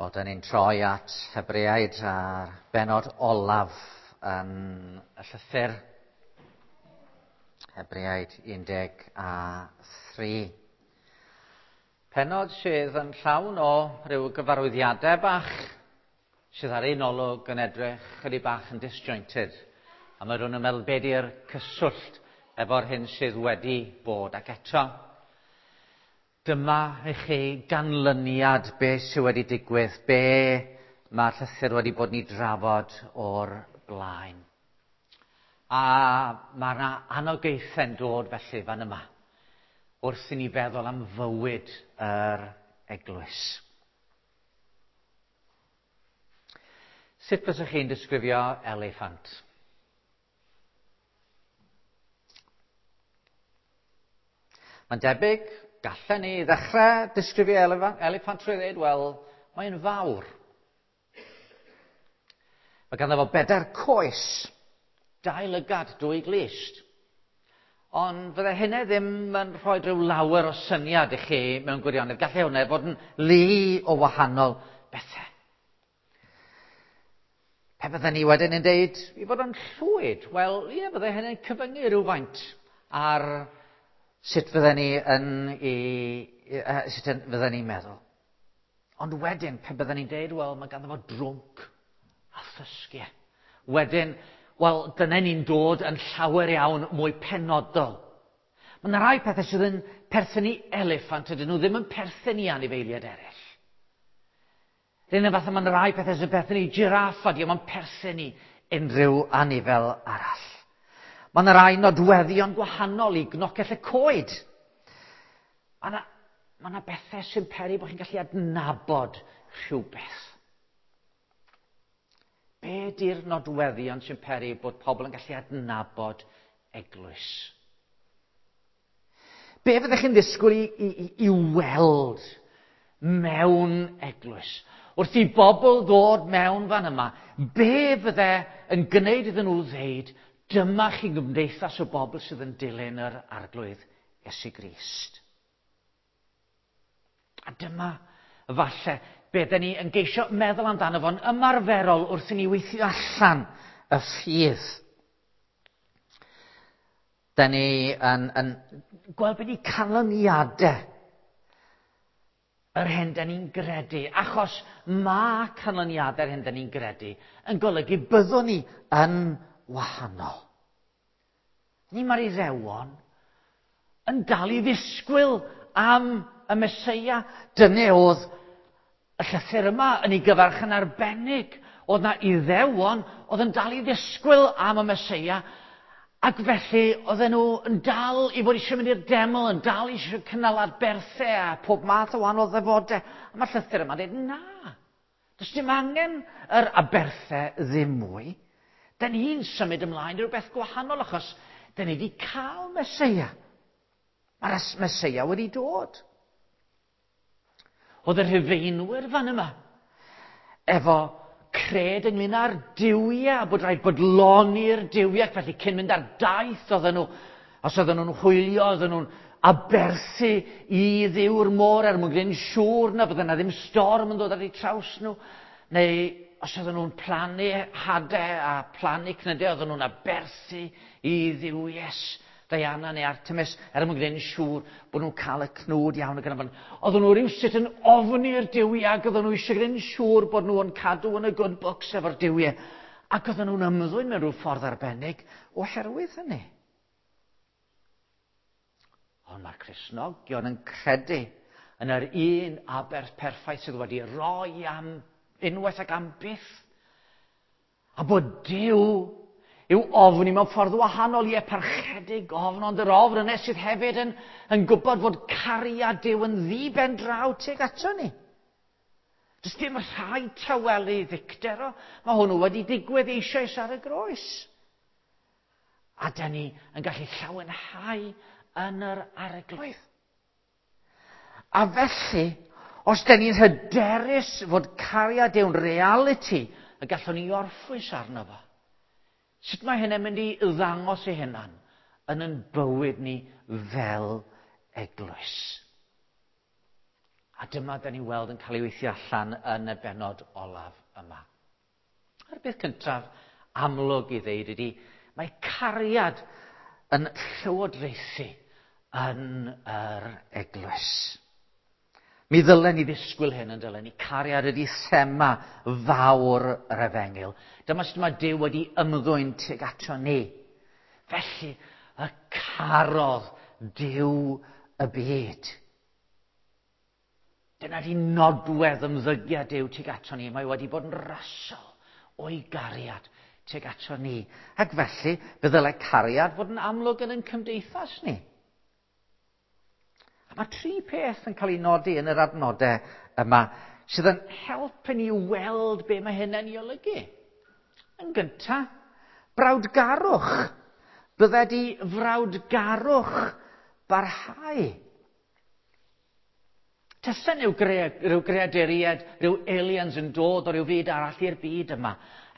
Wel, da ni'n troi at Hebreaid a'r benod olaf yn y llythyr. Hebreaid 13. Penod sydd yn llawn o ryw gyfarwyddiadau bach sydd ar un olwg yn edrych chydig bach yn disjointed. A mae rhywun yn meddwl be di'r cyswllt efo'r hyn sydd wedi bod. Ac eto, dyma i chi ganlyniad be sydd wedi digwydd, be mae'r llythyr wedi bod ni drafod o'r blaen. A mae yna anogaethau'n dod felly fan yma, wrth i ni feddwl am fywyd yr eglwys. Sut fysech chi'n disgrifio eliffant? Mae'n debyg, gallen ni ddechrau disgrifio eliffant trwy ddweud, wel, mae'n fawr. Mae ganddo fo bedair coes, dau lygad, dwy glust. Ond fydde hynny ddim yn rhoi rhyw lawer o syniad i chi mewn gwirionedd. Gallai hwnna fod yn lu o wahanol bethau. Pe bydden ni wedyn yn deud i fod yn llwyd, wel, ie, bydde hynny'n cyfyngu rhywfaint ar sut fydden ni yn i, sut fydden ni'n meddwl. Ond wedyn, pe bydden ni'n deud, wel, mae ganddo fo drwnc a thysgiau. Wedyn, wel, dyna ni'n dod yn llawer iawn mwy penodol. Mae yna rai pethau sydd yn perthyn i eliffant, ydyn nhw ddim yn perthyn i anifeiliaid eraill. Rhywun yn fath mae'n rai pethau sy'n perthyn i giraff a diolch yn perthyn i unrhyw anifel arall. Mae yna rai nodweddion gwahanol i gnocell y coed. Mae yna, mae yna bethau sy'n peri bod chi'n gallu adnabod rhywbeth. Be di'r nodweddion sy'n peri bod pobl yn gallu adnabod eglwys? Be fyddech chi'n ddisgwyl i, i, i weld mewn eglwys? Wrth i bobl ddod mewn fan yma, be fydde yn gwneud iddyn nhw ddeud, dyma chi gymdeithas o bobl sydd yn dilyn yr arglwydd Iesu Grist. A dyma, falle, be dyn ni yn geisio meddwl amdano fo'n ymarferol wrth i ni weithio allan y ffydd. Da ni yn, yn gweld beth i canlyniadau yr hyn da ni'n gredu, achos mae canlyniadau'r hyn da ni'n gredu yn golygu byddwn ni yn wahanol. Ni mae'r Iddewon yn dal i ddisgwyl am y Meseia. Dyna oedd y llythyr yma yn ei gyfarch yn arbennig. Oedd na Iddewon oedd yn dal i ddisgwyl am y Meseia, ac felly oedden nhw yn dal i fod eisiau mynd i'r deml, yn dal eisiau cynnal aberthau a pob math o wahanol ddefodau. A mae'r llythyr yma'n dweud, na, does dim angen yr aberthau ddim mwy. Da ni'n symud ymlaen i rhywbeth gwahanol achos da ni wedi cael Meseia. Mae'r Meseia wedi dod. Oedd y Rhufeinwyr fan yma efo cred ynglyn â'r duwiau, bod rhaid bodloni'r duwiau, felly cyn mynd ar daith oedden nhw, os oedden nhw'n hwylio, oedden nhw'n aberthu i dduw'r môr er mwyn gwneud yn siŵr na fydde yna ddim storm yn dod ar eu traws nhw, neu os oedden nhw'n plannu hadau a plannu cnydau, oedden nhw'n aberthu i dduwies Diana neu Artemis, er mwyn gwneud yn siŵr bod nhw'n cael y cnwd iawn ac yn y blaen. Oedden nhw rywsut yn ofni'r duwiau ac oedden nhw eisiau gwneud yn siŵr bod nhw'n cadw yn y good books efo'r duwiau. Ac oedden nhw'n ymddwyn mewn rhyw ffordd arbennig oherwydd hynny. Ond mae'r Cristnogion yn credu yn yr un aberth perffaith sydd wedi rhoi am unwaith ac am byth. A bod Duw yw ofni mewn ffordd wahanol, ie, parchedig ofn, ond yr ofn yna sydd hefyd yn, yn gwybod fod cariad Duw yn ddi-ben draw tuag ato ni. Does dim rhaid tawelu ddicter o. Mae hwnnw wedi digwydd eisoes ar y groes. A da ni yn gallu llawenhau yn yr arglwydd. A felly, os da ni'n hyderus fod cariad Duw'n realiti, y gallwn ni orffwys arno fo. Sut mae hynny'n mynd i ddangos ei hunan yn yn bywyd ni fel eglwys? A dyma da ni'n weld yn cael ei weithio allan yn y bennod olaf yma. A'r beth cyntaf amlwg i ddeud ydy, mae cariad yn llywodraethu yn yr eglwys. Mi ddylen ni ddisgwyl hyn yn dylen ni. Cariad ydy thema fawr yr efengyl. Dyma sut mae Duw wedi ymddwyn tuag ato ni. Felly, y carodd Duw y byd. Dyna di nodwedd ymddygiad Duw tuag ato ni. Mae wedi bod yn rasol o'i gariad tuag ato ni. Ac felly, fe ddylai cariad fod yn amlwg yn ein cymdeithas ni. A mae tri peth yn cael ei nodi yn yr adnodau yma sydd yn helpu ni weld be mae hynny'n ei olygu. Yn gyntaf, brawdgarwch. Bydde di frawdgarwch barhau. Tasen yw rhyw greaduriaid, rhyw aliens yn dod o ryw fyd arall i'r byd yma,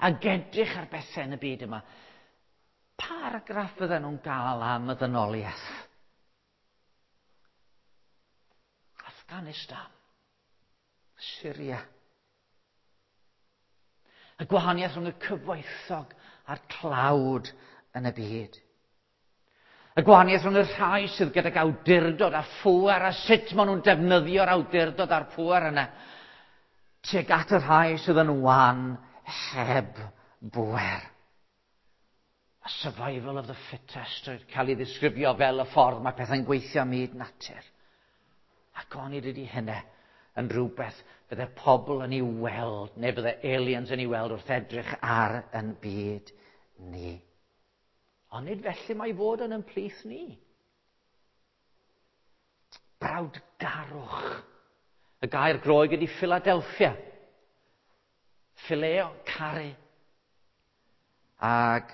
ac edrych ar bethau yn y byd yma. Pa argraff fydden nhw'n gael am y ddynoliaeth? Afghanistan, Syria. Y gwahaniaeth rhwng y cyfoethog a'r tlawd yn y byd. Y gwahaniaeth rhwng y rhai sydd gydag awdurdod a phŵer a sut maen nhw'n defnyddio'r awdurdod a'r pŵer yna tuag at y rhai sydd yn wan heb bŵer. A survival of the fittest yn cael ei ddisgrifio fel y ffordd mae pethau'n gweithio ym myd natur. Ac onid ydy hynny yn rhywbeth fydde pobl yn ei weld, neu fydde aliens yn ei weld wrth edrych ar yn byd ni. Ond nid felly mae fod yn ymplith ni. Brawdgarwch. Y gair Groeg ydy Philadelphia. Phileo, caru. Ac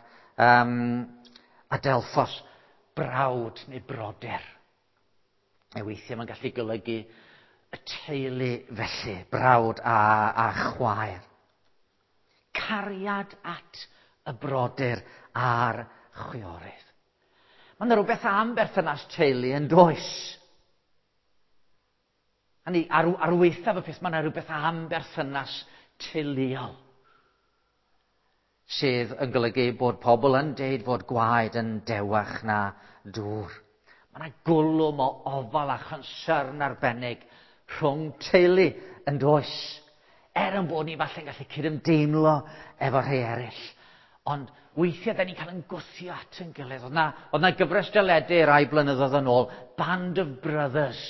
Adelphos, brawd neu brodyr. A weithiau mae'n gallu golygu y teulu felly, brawd a chwaer. Cariad at y brodyr a'r chwiorydd. Mae yna rhywbeth am berthynas teulu yn does. Hynny, ar waethaf y peth, mae yna rhywbeth am berthynas teuluol sydd yn golygu bod pobl yn deud fod gwaed yn dewach na dŵr. Mae yna gwlwm o ofal a chonsyrn arbennig rhwng teulu yn does. Er yn bod ni falle'n gallu cydymdeimlo efo rhai eraill. Ond weithiau da ni'n cael yn gwthio at yn gilydd. Oedd na gyfres deledu rai blynyddoedd yn ôl, Band of Brothers.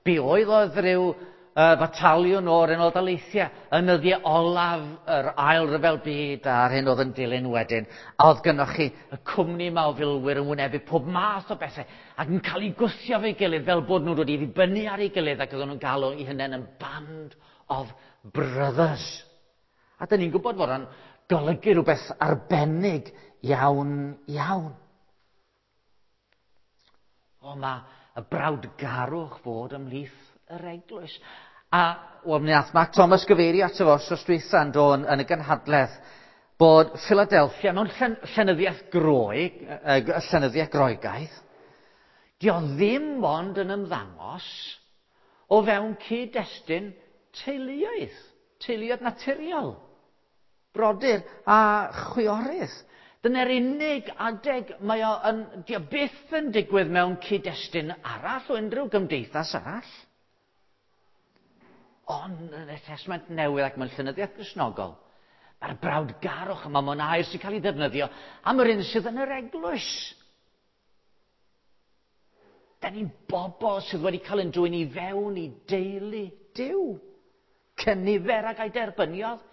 Be oedd rhyw fataliwn o'r Unol Daleithiau yn nyddiau olaf yr ail ryfel byd a'r hyn oedd yn dilyn wedyn. A oedd gynnoch chi y cwmni yma o filwyr yn wynebu pob math o bethau ac yn cael eu gwthio fe'i gilydd fel bod nhw'n dod i ddibynnu ar ei gilydd ac oedden nhw'n galw eu hunain yn Band of Brothers. A dyn ni'n gwybod fod o'n golygu rhywbeth arbennig iawn, iawn. O, mae y brawdgarwch fod ymhlith yr eglwys. A, wel, mi nath Mark Thomas gyfeirio ato fo wsos dwytha yn do yn y gynhadledd bod Philadelphia mewn llenyddiaeth Groeg, llenyddiaeth Groegaidd, di o ddim ond yn ymddangos o fewn cyd-destun teuluoedd, teuluoedd naturiol, brodyr a chwiorydd. Dyna'r unig adeg mae o yn, di o byth yn digwydd mewn cyd-destun arall o unrhyw gymdeithas arall. Ond yn y Testament Newydd ac mewn llenyddiaeth Gristnogol, mae'r brawdgarwch yma mewn air sy'n cael ei ddefnyddio am yr un sydd yn yr eglwys. Da ni'n bobl sydd wedi cael ein dwyn i fewn i deulu Duw. Cynifer ag a'i derbyniodd.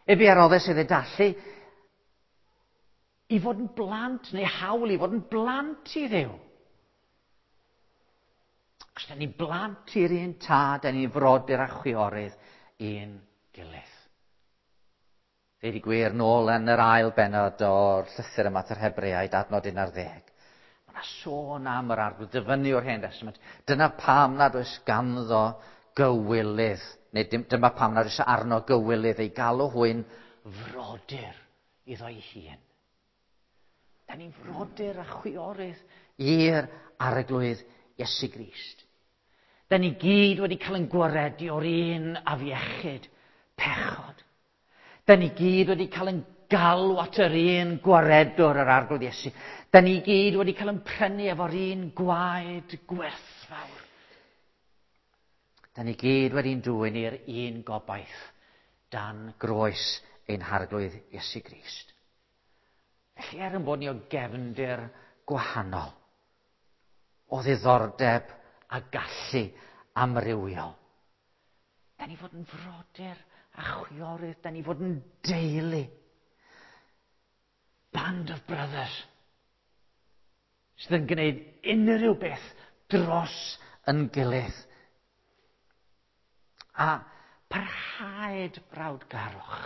Efe a roddes iddo allu i fod yn blant, neu hawl i fod yn blant i Dduw. Os da ni'n blant i'r un tad, da ni'n frodyr a chwiorydd i'n gilydd. Ddeud i gwir nôl yn yr ail bennod o'r llythyr yma at yr Hebreaid, adnod 11. Mae yna sôn am yr Arglwydd, dyfynnu o'r Hen Testament. Dyna pam nad oes ganddo gywilydd, neu dyma pam nad oes arno gywilydd ei galw hwy'n frodyr iddo'i hun. Da ni'n frodyr a chwiorydd i'r Arglwydd Iesu Grist. Da ni gyd wedi cael yn gwaredu o'r un afiechyd, pechod. Da ni gyd wedi cael yn galw at yr un gwaredwr yr Arglwydd Iesu. Da ni gyd wedi cael yn prynu efo'r un gwaed gwerthfawr. Da ni gyd wedi'n dwyn i'r un gobaith dan groes ein Harglwydd Iesu Grist. Felly er yn bod ni o gefndir gwahanol, o ddiddordeb a gallu amrywiol, da ni fod yn frodyr a chwiorydd, da ni fod yn deulu. Band of brothers sydd yn gwneud unrhyw beth dros yn gilydd. A parhaed brawdgarwch.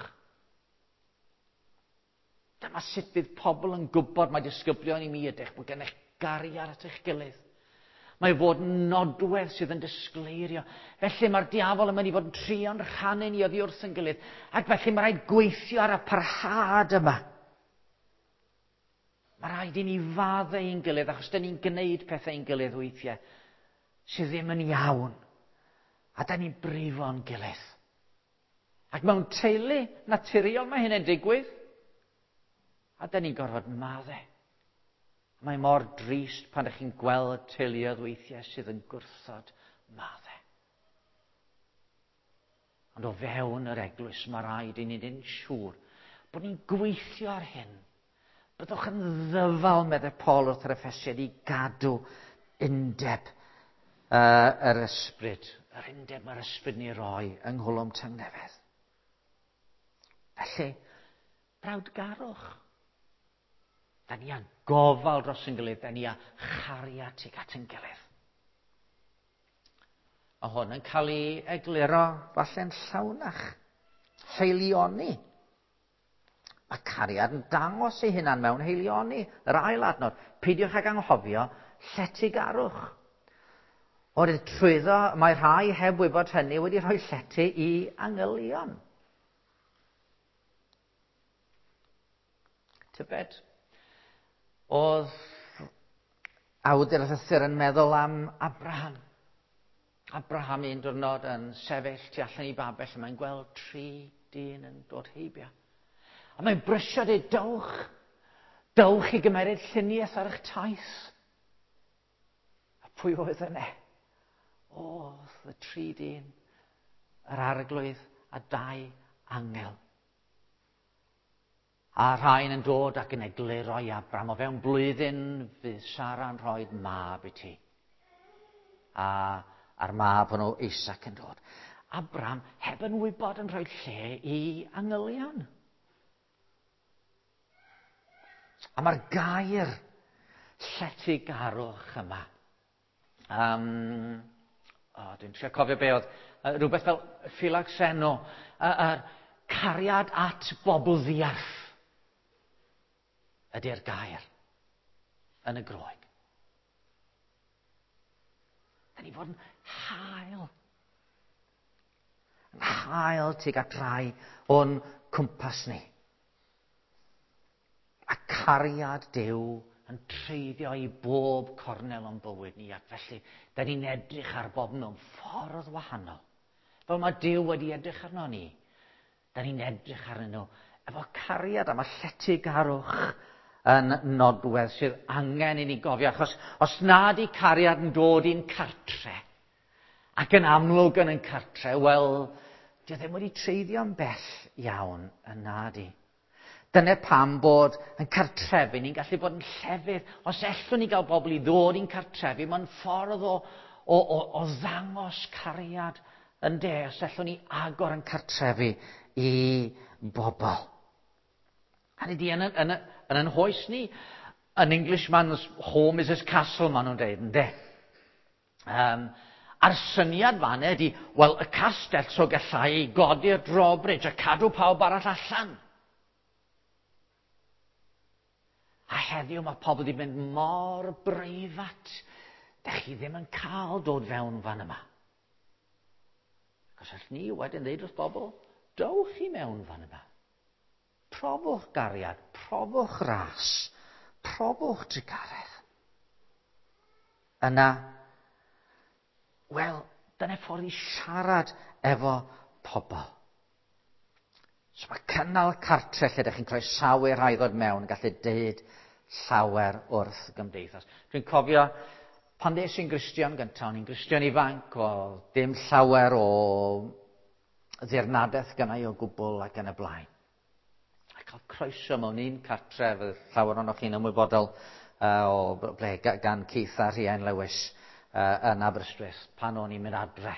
Dyma sut bydd pobl yn gwybod mae disgyblion i mi ydych, bod gennych gariad at eich gilydd. Mae fod yn nodwedd sydd yn disgleirio. Felly mae'r diafol yn mynd i fod yn trio'n rhannu ni oddi wrth yn gilydd. Ac felly mae rhaid gweithio ar y parhad yma. Mae rhaid i ni faddau ein gilydd, achos dyn ni'n gwneud pethau ein gilydd weithiau sydd ddim yn iawn. A dyn ni'n brifo'n gilydd. Ac mewn teulu naturiol mae hynny'n digwydd. A dyn ni'n gorfod maddau. Mae mor drist pan ydych chi'n gweld teuluoedd weithiau sydd yn gwrthod maddau. Ond o fewn yr eglwys mae rhaid i ni'n siŵr bod ni'n gweithio ar hyn. Byddwch yn ddyfal, meddai Paul wrth yr Effesiaid, i gadw undeb yr ysbryd. Yr undeb mae'r ysbryd ni roi yng Nghwlwm Tangnefedd. Felly, brawdgarwch. Da ni â gofal dros yn gilydd, da ni â chariad tuag at yn gilydd. A hwn yn cael ei egluro falle'n llawnach. Haelioni. Mae cariad yn dangos ei hunan mewn haelioni. Yr ail adnod, peidiwch ag anghofio lletygarwch. Oherwydd trwyddo, mae rhai heb wybod hynny wedi rhoi llety i angylion. Tybed, oedd awdur y llythyr yn meddwl am Abraham. Abraham un diwrnod yn sefyll tu allan i babell a mae'n gweld tri dyn yn dod heibio. A mae'n brysio dweud, dowch, dowch i gymeryd lluniaeth ar eich taith. A pwy oedd yna? Oedd y tri dyn, yr Arglwydd a dau angel. A rhain yn dod ac yn egluro i Abram, o fewn blwyddyn fydd Sara'n rhoi mab i ti. A a'r mab hwnnw Isaac yn dod. Abram heb yn wybod yn rhoi lle i angylion. A mae'r gair lletygarwch yma. Dwi'n trio cofio be oedd, rhywbeth fel philoxeno, yr cariad at bobl ddiarth ydy'r gair yn y Groeg. Da ni fod yn hael. Yn hael tuag at rai o'n cwmpas ni. A cariad Duw yn treiddio i bob cornel o'n bywyd ni, ac felly da ni'n edrych ar bob mewn ffordd wahanol. Fel mae Duw wedi edrych arno ni, da ni'n edrych arnyn nhw efo cariad, a mae lletygarwch yn nodwedd sydd angen i ni gofio, achos os nad i cariad yn dod i'n cartre, ac yn amlwg yn ein cartre, wel, dio ddim wedi treiddio'n bell iawn yn nadi. Dyna pam bod yn cartrefi ni'n gallu bod yn llefydd. Os ellwn ni gael bobl i ddod i'n cartrefi, mae'n ffordd o ddangos cariad yn de. Os ellwn ni agor yn cartrefi i bobl. Hynny ydi, yn yn hoes ni, an Englishman's home is his castle, maen nhw'n dweud, ynde? A'r syniad fan ydi, wel, y castell so gallai godi'r drawbridge a cadw pawb arall allan. A heddiw mae pobl wedi mynd mor breifat. Dych chi ddim yn cael dod fewn fan yma. Ac os ni wedyn ddeud wrth bobl, dowch i mewn fan yma. Profwch gariad, profwch ras, profwch trugaredd. Yna, wel, Dyna ffordd i siarad efo pobl. So mae cynnal cartre lle ydych chi'n croesawu rhai ddod mewn yn gallu deud llawer wrth gymdeithas. Dwi'n cofio pan ddes i'n Gristion gyntaf, o'n i'n Gristion ifanc, o dim llawer o ddirnadaeth gynnau o gwbl ac yn y blaen. A cael croeso mewn un cartref, llawer ohonoch chi'n ymwybodol o ble gan Keith a Rhian Lewis yn Aberystwyth pan o'n i'n mynd adre.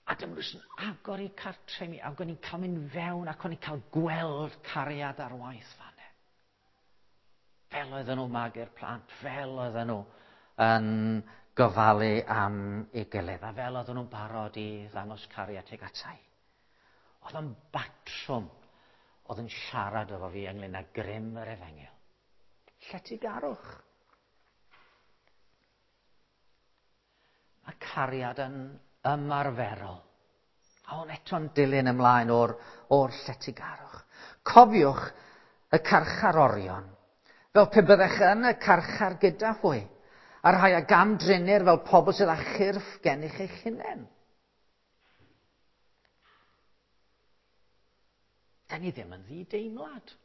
A dyma nhw yn agor eu cartre i mi, ac o'n i'n cael mynd fewn ac o'n i'n cael gweld cariad ar waith fan. Fel oedden nhw magu'r plant, fel oedden nhw yn gofalu am ei gilydd, a fel oedden nhw'n barod i ddangos cariad tuag atai. Oedd yn batrwm oedd yn siarad efo fi ynglyn â grym yr efengyl. Lletygarwch. Mae cariad yn ymarferol. A hwn eto'n dilyn ymlaen o'r, or lletygarwch. Cofiwch y carcharorion, fel pe byddech yn y carchar gyda hwy, a rhai a gamdrinir fel pobl sydd â chyrff gennych eich hunain. Da ni ddim yn ddi-deimlad.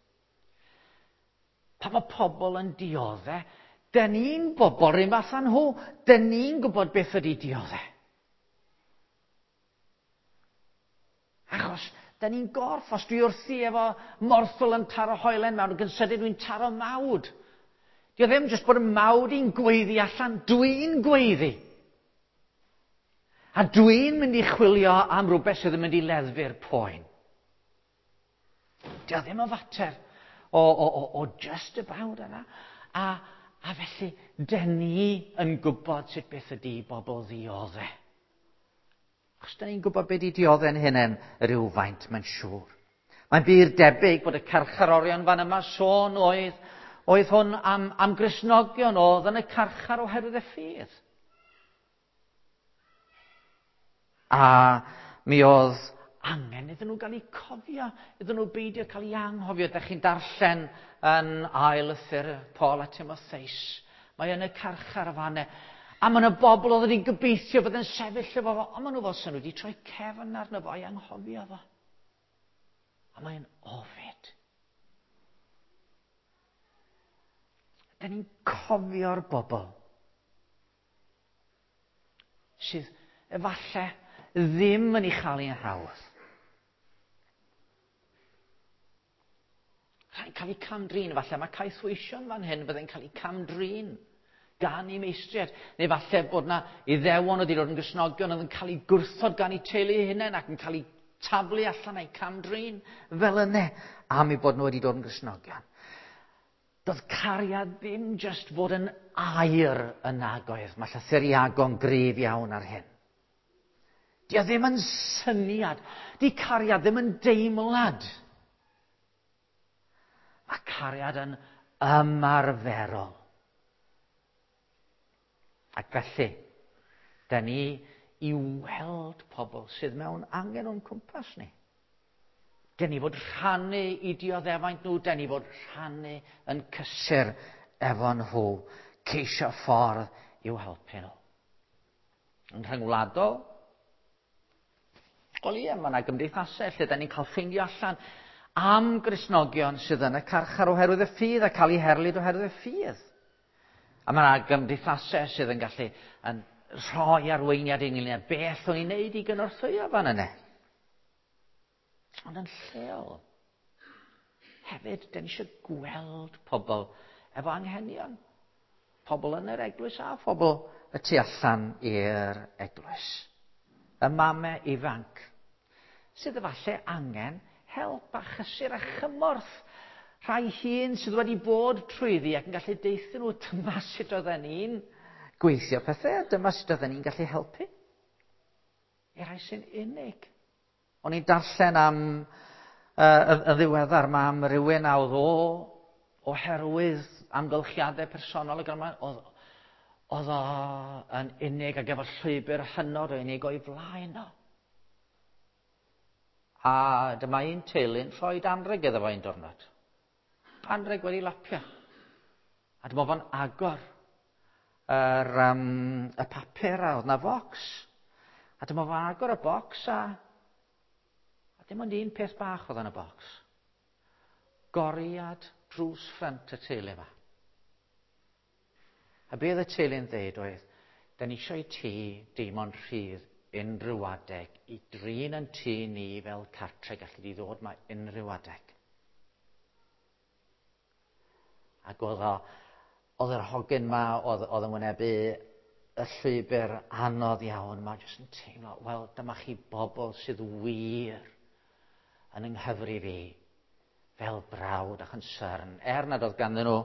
Pan mae pobl yn dioddau, da ni'n bobl rhywun fath â nhw. Da ni'n gwybod beth ydy dioddau. Achos, da ni'n gorff, os dwi wrthi efo morthwl yn taro hoelen mewn, ac yn sydyn dwi'n taro mawd. Di o ddim jyst bod y mawd i'n gweiddi allan, dwi'n gweiddi. A dwi'n mynd i chwilio am rhywbeth sydd yn mynd i leddfu'r poen. Di o ddim yn fater o, o, o, o just about yna. A, a felly, dyn ni yn gwybod sut beth ydy bobl ddioddau. Achos da ni'n gwybod beth i dioddau'n hunain rhywfaint, mae'n siŵr. Mae'n bur debyg bod y carcharorion fan yma sôn oedd, oedd hwn am, am Gristnogion oedd yn y carchar oherwydd y ffydd. A mi oedd angen iddyn nhw gael eu cofio, iddyn nhw beidio cael eu anghofio. Dych chi'n darllen yn ail lythyr Paul a Timotheus. Mae yn y carchar fan A mae yna bobl oedd wedi gobeithio bod yn sefyll efo fo, ond maen nhw fel sy'n nhw wedi troi cefn arno fo i anghofio fo. A mae'n ofid. Da ni'n cofio'r bobl sydd efallai ddim yn ei chael i'n hawdd. Rhaid cael eu camdrin, falle mae caethweision fan hyn byddai'n cael eu camdrin gan eu meistriaid. Neu falle bod na iddewon oedd wedi dod yn Gristnogion oedd yn cael eu gwrthod gan eu teulu eu hunain ac yn cael eu taflu allan a'u camdrin fel yna am eu bod nhw wedi dod yn Gristnogion. Doedd cariad ddim jyst fod yn air yn nagoedd. Mae llythyr Iago'n gryf iawn ar hyn. Di o ddim yn syniad. Di cariad ddim yn deimlad. Mae cariad yn ymarferol. Ac felly, da ni i weld pobl sydd mewn angen o'n cwmpas ni. Da ni fod rhannu i dioddefaint nhw, da ni fod rhannu yn cysur efo nhw, ceisio ffordd i'w helpu nhw. Yn rhyngwladol, wel ie, mae yna gymdeithasau lle da ni'n cael ffeindio allan am Gristnogion sydd yn y carchar oherwydd y ffydd a cael eu herlid oherwydd y ffydd. A mae yna gymdeithasau sydd yn gallu yn rhoi arweiniad i ynglyn â beth o'n i'n neud i gynorthwyo fan yna. Ond yn lleol, hefyd, da ni eisiau gweld pobl efo anghenion. Pobl yn yr eglwys a phobl y tu allan i'r eglwys. Y mamau ifanc sydd efallai angen help a chysur a chymorth. Rhai hun sydd wedi bod trwyddi ac yn gallu deithio nhw dyma sut oedden ni'n gweithio pethau, a dyma sut oedden ni'n gallu helpu. I rai sy'n unig. O'n i'n darllen am uh, y ddiweddar ma am rywun a oedd o oherwydd amgylchiadau personol ac yma, oedd, oedd o yn unig ac efo llwybr hynod o unig o'i flaen o. A dyma un teulu'n rhoi anrheg iddo fo un diwrnod. Anrheg wedi lapio. A dyma fo'n agor yr, um, y papur a oedd na focs. A dyma fo agor y bocs a dim ond un peth bach oedd yn y bocs. Goriad drws ffrynt y teulu yma. A be oedd y teulu'n dweud oedd, da ni eisiau i ti deimlo'n rhydd unrhyw adeg i drin yn tŷ ni fel cartre, gallu di ddod ma unrhyw adeg. Ac oedd yr hogyn ma, oedd yn wynebu y llwybr anodd iawn, ma jyst yn teimlo, wel, dyma chi bobl sydd wir yn ynghyfru fi fel brawd a chonsern. Er nad oedd ganddyn nhw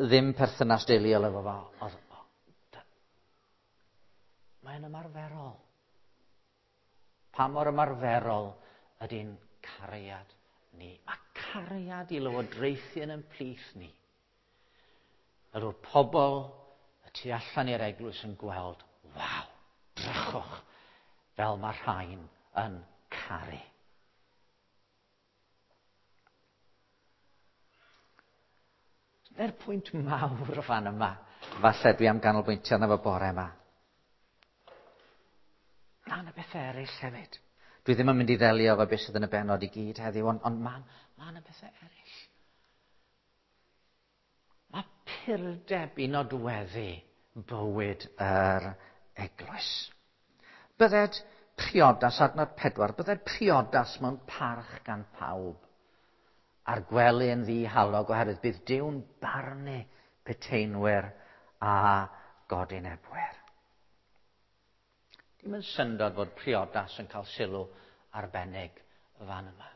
ddim perthynas deuluol efo fo, mae'n ymarferol. Pa mor ymarferol ydy'n cariad ni? Mae cariad i lywodraethu yn ein plith ni. Fel bod pobl y tu allan i'r eglwys yn gweld, waw, drychwch, fel mae rhain yn caru. Dyna'r pwynt mawr o fan yma. Falle dwi am ganolbwyntio arno fo bore yma. Na, yna bethau eraill hefyd. Dwi ddim yn mynd i ddelio efo beth sydd yn y bennod i gyd heddiw, ond mae yna bethau eraill. Mae purdeb i nodweddu bywyd yr eglwys. Bydded priodas, adnod 4, bydded priodas mewn parch gan pawb a'r gwely yn ddihalog oherwydd bydd Duw'n barnu peteinwyr a godinebwyr. Dim yn syndod fod priodas yn cael sylw arbennig fan yma.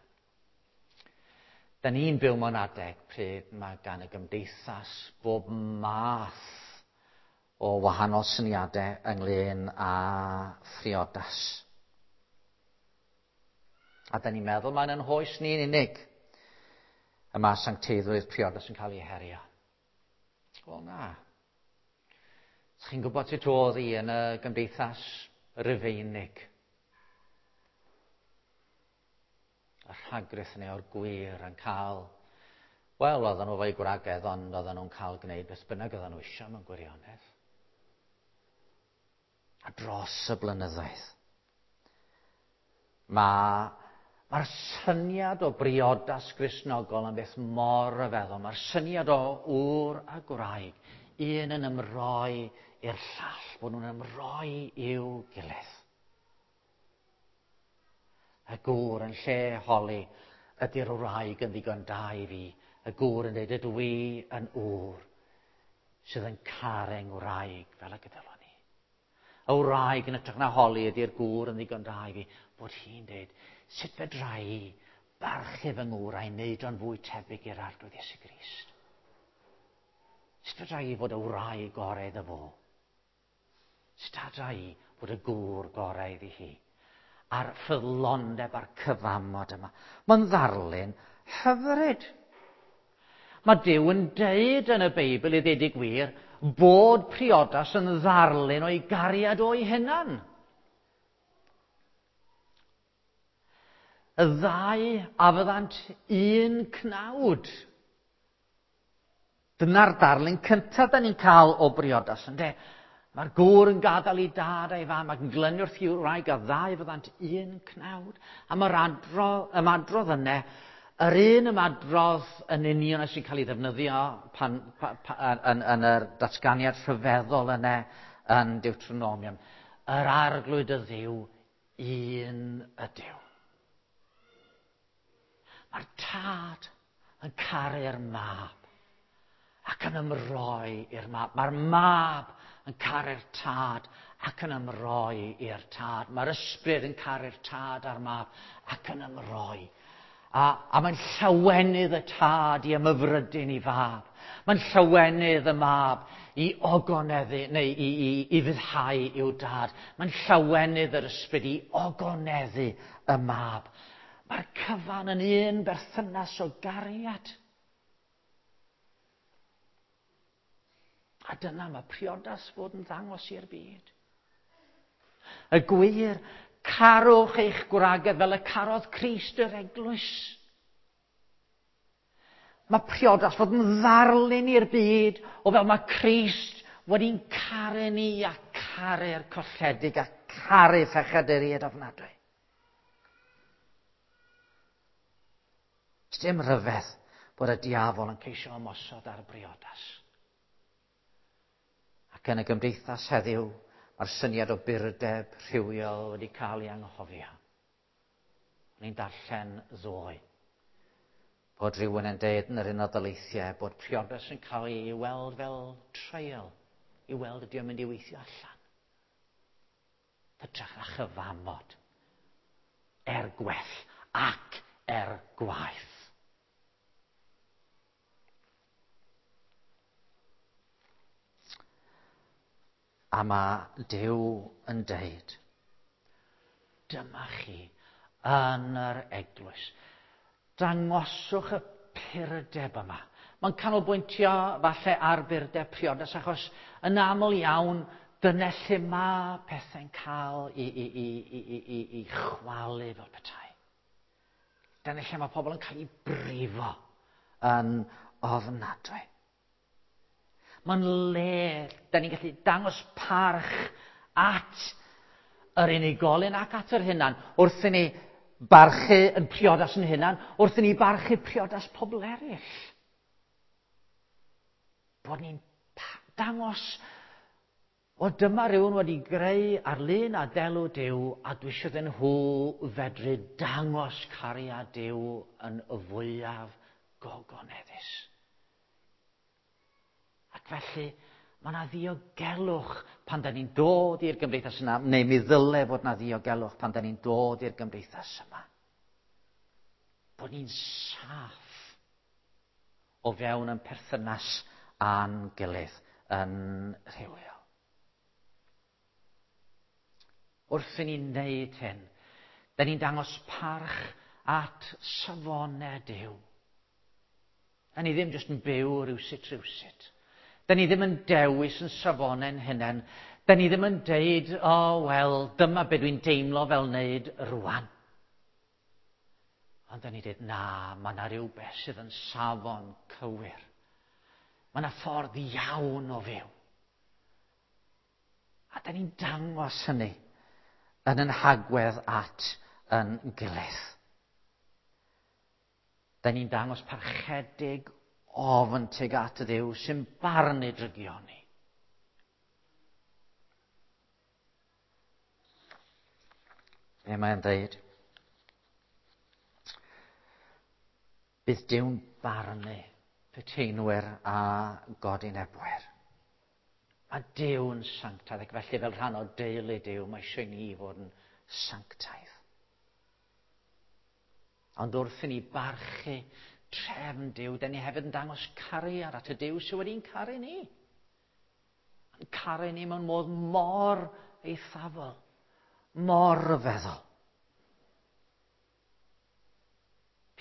Da ni'n byw mewn adeg pryd mae gan y gymdeithas bob math o wahanol syniadau ynglyn â phriodas. A da ni'n meddwl mae'n yn hoes ni'n unig y mae sancteiddrwydd priodas yn cael ei herio. Wel na. Chi'n gwybod sut oedd hi yn y gymdeithas Rufeinig? Y rhagrith neu o'r gwir yn cael, wel, oedden nhw fo'u gwragedd, ond oedden nhw'n cael gwneud beth bynnag oedden nhw eisiau mewn gwirionedd. A dros y blynyddoedd, mae'r syniad o briodas Gristnogol yn beth mor ryfeddol. Mae'r syniad o ŵr a gwraig, un yn ymroi i'r llall, bod nhw'n ymroi i'w gilydd. Y gŵr yn lle holi, ydy'r wraig yn ddigon da i fi? Y gŵr yn dweud, ydw i yn ŵr sydd yn caru ngwraig fel y gydylwn ni. Y wraig yn hytrach na holi, ydy'r gŵr yn ddigon da i fi? Bod hi'n dweud, sut fedra i barchu fy ngŵr a'i wneud o'n fwy tebyg i'r Arglwydd Iesu Grist? Sut fedra i fod y wraig gorau iddo fo? Sut fedra i fod y gŵr gorau iddi hi? A'r ffyddlondeb a'r cyfamod yma. Mae'n ddarlun hyfryd. Mae Duw yn deud yn y Beibl i ddeud y gwir bod priodas yn ddarlun o'i gariad o'i hunan. Y ddau a fyddant un cnawd. Dyna'r darlun cyntaf da ni'n cael o briodas, ynde? Mae'r gŵr yn gadael ei dad a'i fam ac yn glynu wrth i'w wraig a ddau fyddant un cnawd. A mae'r ymadrodd yna, yr un ymadrodd yn union sy'n cael ei ddefnyddio yn yr datganiad rhyfeddol yna yn Deuteronomium. Yr Arglwydd y Dduw, un ydyw. Mae'r tad yn caru'r mab ac yn ymroi i'r mab. Mae'r mab yn caru'r tad ac yn ymroi i'r tad. Mae'r ysbryd yn caru'r tad a'r mab ac yn ymroi. A mae'n llawenydd y tad i ymhyfrydu'n ei fab. Mae'n llawenydd y mab i ogoneddu, neu i fyddhau i'w dad. Mae'n llawenydd yr ysbryd i ogoneddu y mab. Mae'r cyfan yn un berthynas o gariad. A dyna mae priodas fod yn ddangos i'r byd. Y gwir, carwch eich gwragedd fel y carodd Crist yr eglwys. Mae priodas fod yn ddarlun i'r byd o fel mae Crist wedi'n caru ni a caru'r colledig a caru phechaduriaid ofnadwy. Dim rhyfedd bod y diafol yn ceisio ymosod ar briodas. Ac yn y gymdeithas heddiw, mae'r syniad o burdeb rhywiol wedi cael ei anghofio. O'n i'n darllen ddoe bod rhywun yn deud yn yr Unol Daleithiau bod priodas yn cael ei weld fel trial i weld ydy o'n mynd i weithio allan. Hytrach na chyfamod er gwell ac er gwaeth. A mae Duw yn deud, dyma chi yn yr eglwys. Dangoswch y purdeb yma. Mae'n canolbwyntio falle ar burdeb priodas, achos yn aml iawn dyna lle mae pethau'n cael i chwalu fel petai. Dyna lle mae pobl yn cael eu brifo yn ofnadwy. Mae'n le, da ni'n gallu dangos parch at yr unigolyn ac at yr hunan wrth i ni barchu yn priodas yn hunan, wrth i ni barchu priodas pobl eraill. Bod ni'n dangos, o dyma rhywun wedi greu ar lun a delw Duw a dwi eisiau iddyn nhw fedru dangos cariad Duw yn y fwyaf gogoneddus. Ac felly, mae yna ddiogelwch pan da ni'n dod i'r gymdeithas yna, neu mi ddyle fod yna ddiogelwch pan da ni'n dod i'r gymdeithas yma. Bod ni'n saff o fewn yn perthynas â'n gilydd yn rhywiol. Wrth i ni wneud hyn, da ni'n dangos parch at safonau Duw. Da ni ddim jyst yn byw rywsut rywsut. Da ni ddim yn dewis yn safonau'n hunain. Da ni ddim yn deud, o, oh, wel, dyma be dwi'n deimlo fel wneud rwan. Ond da ni dweud, na, mae yna rhywbeth sydd yn safon cywir. Mae yna ffordd iawn o fyw. A da ni'n dangos hynny yn yn hagwedd at yn gilydd. Da ni'n dangos parchedig ofn tuag at y Dduw sy'n barnu drygioni. Be mae'n dweud? Bydd Duw'n barnu peteinwyr a godinebwyr. Mae Duw'n sanctaidd, ac felly fel rhan o deulu Duw, mae eisiau ni fod yn sanctaidd. Ond wrth i ni barchu trefn Duw, da ni hefyd yn dangos cariad at y Duw sydd wedi'n caru ni. Yn caru ni mewn modd mor eithafol, mor ryfeddol.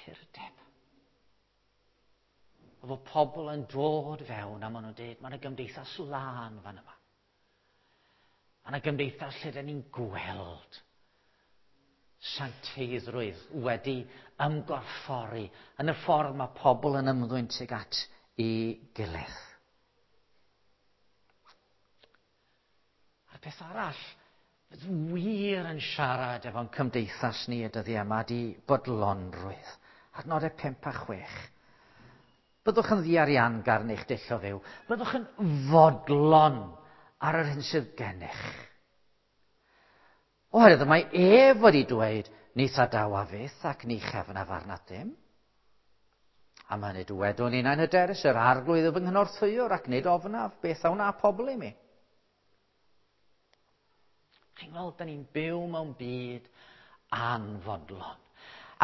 Purdeb. A fod pobl yn dod fewn a maen nhw'n dweud, mae yna gymdeithas lân fan yma. Mae yna gymdeithas lle da ni'n gweld sancteiddrwydd wedi ymgorffori yn y ffordd mae pobl yn ymddwyn tuag at i gilydd. A'r peth arall, fydd wir yn siarad efo'n cymdeithas ni y dyddiau yma di bodlonrwydd. Adnodau 5 a 6. Byddwch yn ddiariangar yn eich dull o fyw. Byddwch yn fodlon ar yr hyn sydd gennych. Oherwydd mae ef wedi dweud, ni thadawa fyth ac ni chefn a farna dim. Am hynny dywedwn innau'n hyderus, yr arglwydd yw fy nghynorthwywr ac nid ofnaf beth a wna pobl i mi. Chi'n gweld, da ni'n byw mewn byd anfodlon.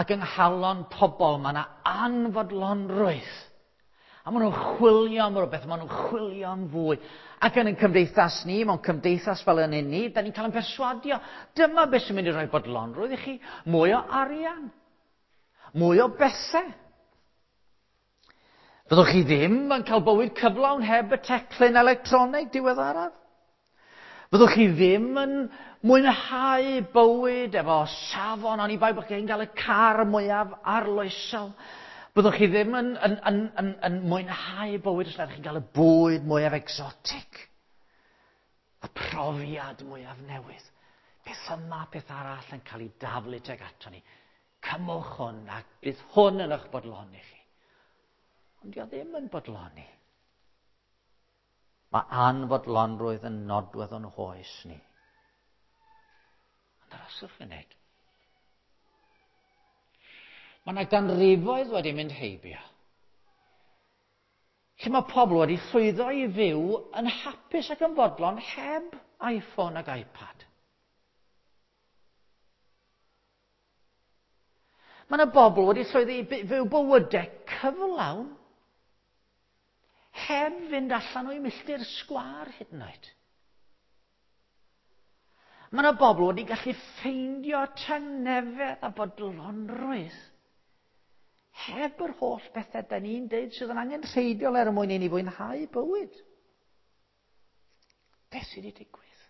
Ac yng nghalon pobl mae yna anfodlonrwydd. A maen nhw'n chwilio am rhywbeth, maen nhw'n chwilio am fwy. Ac yn ein cymdeithas ni, mewn cymdeithas fel yn un ni, da ni'n cael ein perswadio. Dyma beth sy'n mynd i roi bodlonrwydd i chi. Mwy o arian. Mwy o bethau. Fyddwch chi ddim yn cael bywyd cyflawn heb y teclyn electronig diweddaraf. Fyddwch chi ddim yn mwynhau bywyd efo safon, oni bai bod chi'n cael y car mwyaf arloesol. Byddwch chi ddim yn mwynhau bywyd os nad chi'n cael y bwyd mwyaf exotic. Y profiad mwyaf newydd. Peth yma, peth arall yn cael ei daflu tuag ato ni. Cymwch hwn a bydd hwn yn eich bodloni chi. Ond dio ddim yn bodloni. Mae anfodlonrwydd yn nodwedd o'n hoes ni. Ond aroswch funud. Mae yna ganrifoedd wedi mynd heibio. Lle mae pobl wedi llwyddo i fyw yn hapus ac yn fodlon heb iPhone ac iPad. Mae yna bobl wedi llwyddo i fyw bywydau cyflawn heb fynd allan o'i milltir sgwâr hyd yn oed. Mae yna bobl wedi gallu ffeindio tangnefedd a bodlonrwydd heb yr holl bethau da ni'n deud sydd yn angenrheidiol er mwyn i ni fwynhau bywyd. Beth sydd wedi digwydd?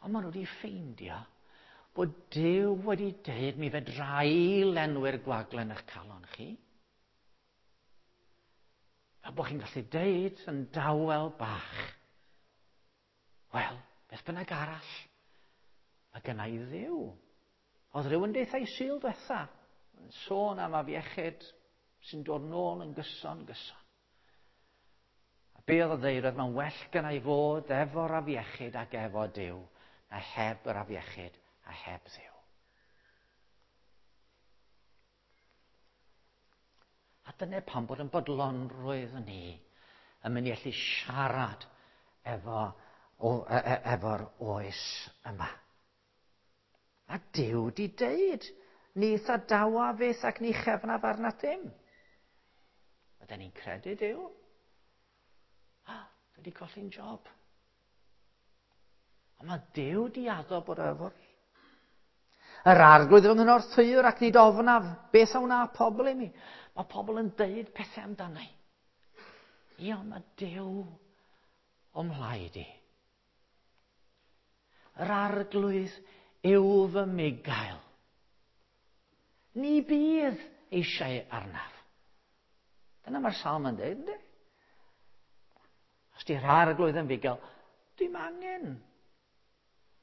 Ond maen nhw wedi ffeindio bod Duw wedi deud mi fedra i lenwi'r gwagle yn eich calon chi. Fel bod chi'n gallu deud yn dawel bach, wel, beth bynnag arall, mae gynna i Dduw. Oedd rhywun deutha i Sul diwetha, yn sôn am afiechyd sy'n dod nôl yn gyson, gyson. A be oedd o ddeud oedd mae'n well gynna i fod efo'r afiechyd ac efo Duw, na heb yr afiechyd a heb Dduw. A dyna pam bod yn bodlonrwydd ni yn mynd i allu siarad efo, o, e, e, efo'r oes yma. A Duw di deud, ni thadawa fyth ac ni chefnaf arna dim. Ydyn ni'n credu Duw? Ah, dwi wedi colli'n job. Ond mae Duw di addo bod efo fi. Yr arglwydd fy nghynorthwywr ac nid ofnaf. Beth a wna pobl i mi? Mae pobl yn deud pethau amdana i. Ie, ond mae Duw o mhlaid i. Yr arglwydd yw fy migail. Ni bydd eisiau arnaf. Dyna mae'r salm yn dweud, ynddi? Os di'r arglwydd yn fugail, dwi'm angen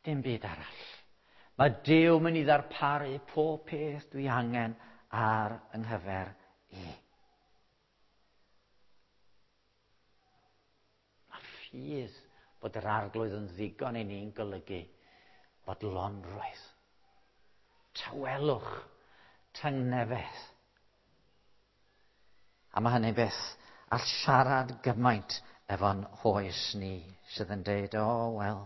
dim byd arall. Mae Duw mynd i ddarparu pob peth dwi angen ar yng nghyfer i. Mae ffydd bod yr arglwydd yn ddigon i ni'n golygu bodlonrwydd, tawelwch, tangnefedd. A mae hynny'n beth all siarad gymaint efo'n hoes ni sydd yn deud, o, oh, wel,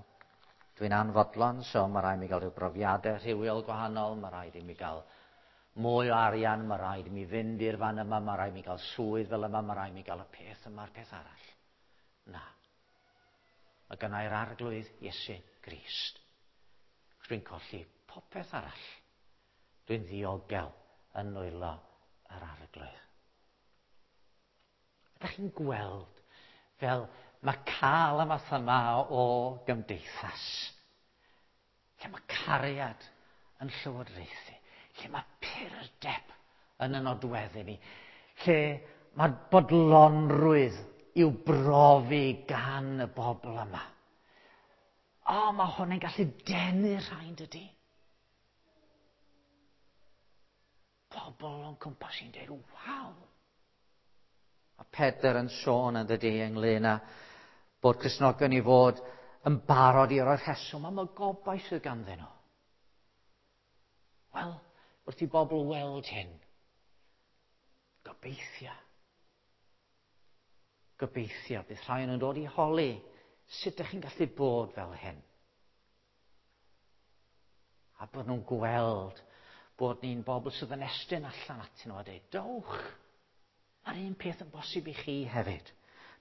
dwi'n anfodlon, so mae rhaid mi gael rhyw brofiadau rhywiol gwahanol, mae rhaid i mi gael mwy o arian, mae rhaid i mi fynd i'r fan yma, mae rhaid i mi gael swydd fel yma, mae rhaid i mi gael y peth yma'r peth arall. Na. Mae gynnau'r arglwydd Iesu Grist. Dwi'n colli popeth arall. Dwi'n ddiogel yn nwylo yr arglwydd. Ydych chi'n gweld fel mae cael y math yma o gymdeithas, lle mae cariad yn llywodraethu, lle mae purdeb yn y nodweddu ni, lle mae bodlonrwydd i'w brofi gan y bobl yma. O, mae hwn yn gallu denu rhain, dydy? Pobl o'n cwmpas i'n dweud, waw! A Pedr yn sôn yn dydy ynglyn â bod Cristnogion i fod yn barod i roi'r rheswm am y gobaith sydd ganddyn nhw. Wel, wrth i bobl weld hyn, gobeithio. Gobeithio bydd rhai yn dod i holi sut ydych chi'n gallu bod fel hyn. A bod nhw'n gweld bod ni'n bobl sydd yn estyn allan atyn nhw a dweud, dowch, mae'r un peth yn bosib i chi hefyd,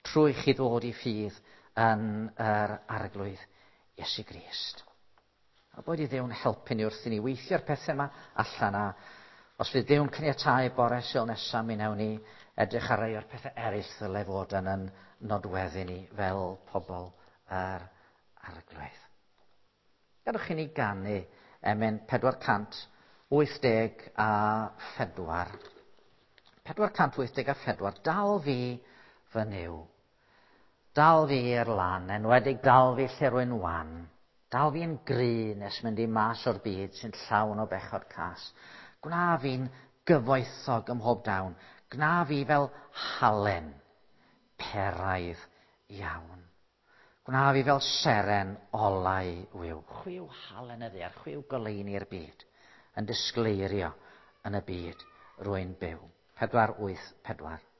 trwy chi ddod i ffydd yn yr arglwydd Iesu Grist. A bod i Dduw'n helpu ni wrth i ni weithio'r pethau yma allan a os fydd Duw'n caniatáu bore Sul nesaf mi wnawn ni edrych ar rai o'r pethau eraill ddyle fod yn yn nodweddu ni fel pobl yr arglwydd. Gadwch i ni ganu emyn 484. 484, dal fi fy Nuw. Dal fi i'r lan, enwedig dal fi lle rwy'n wan. Dal fi'n gry nes mynd i mas o'r byd sy'n llawn o bechod cas. Gwna fi'n gyfoethog ym mhob dawn. Gwna fi fel halen, peraidd iawn. Gwna fi fel seren olau wiw. Chwiw halen y ddaear, chwiw goleuni'r byd, yn disgleirio yn y byd rwy'n byw. 4, 8, 4.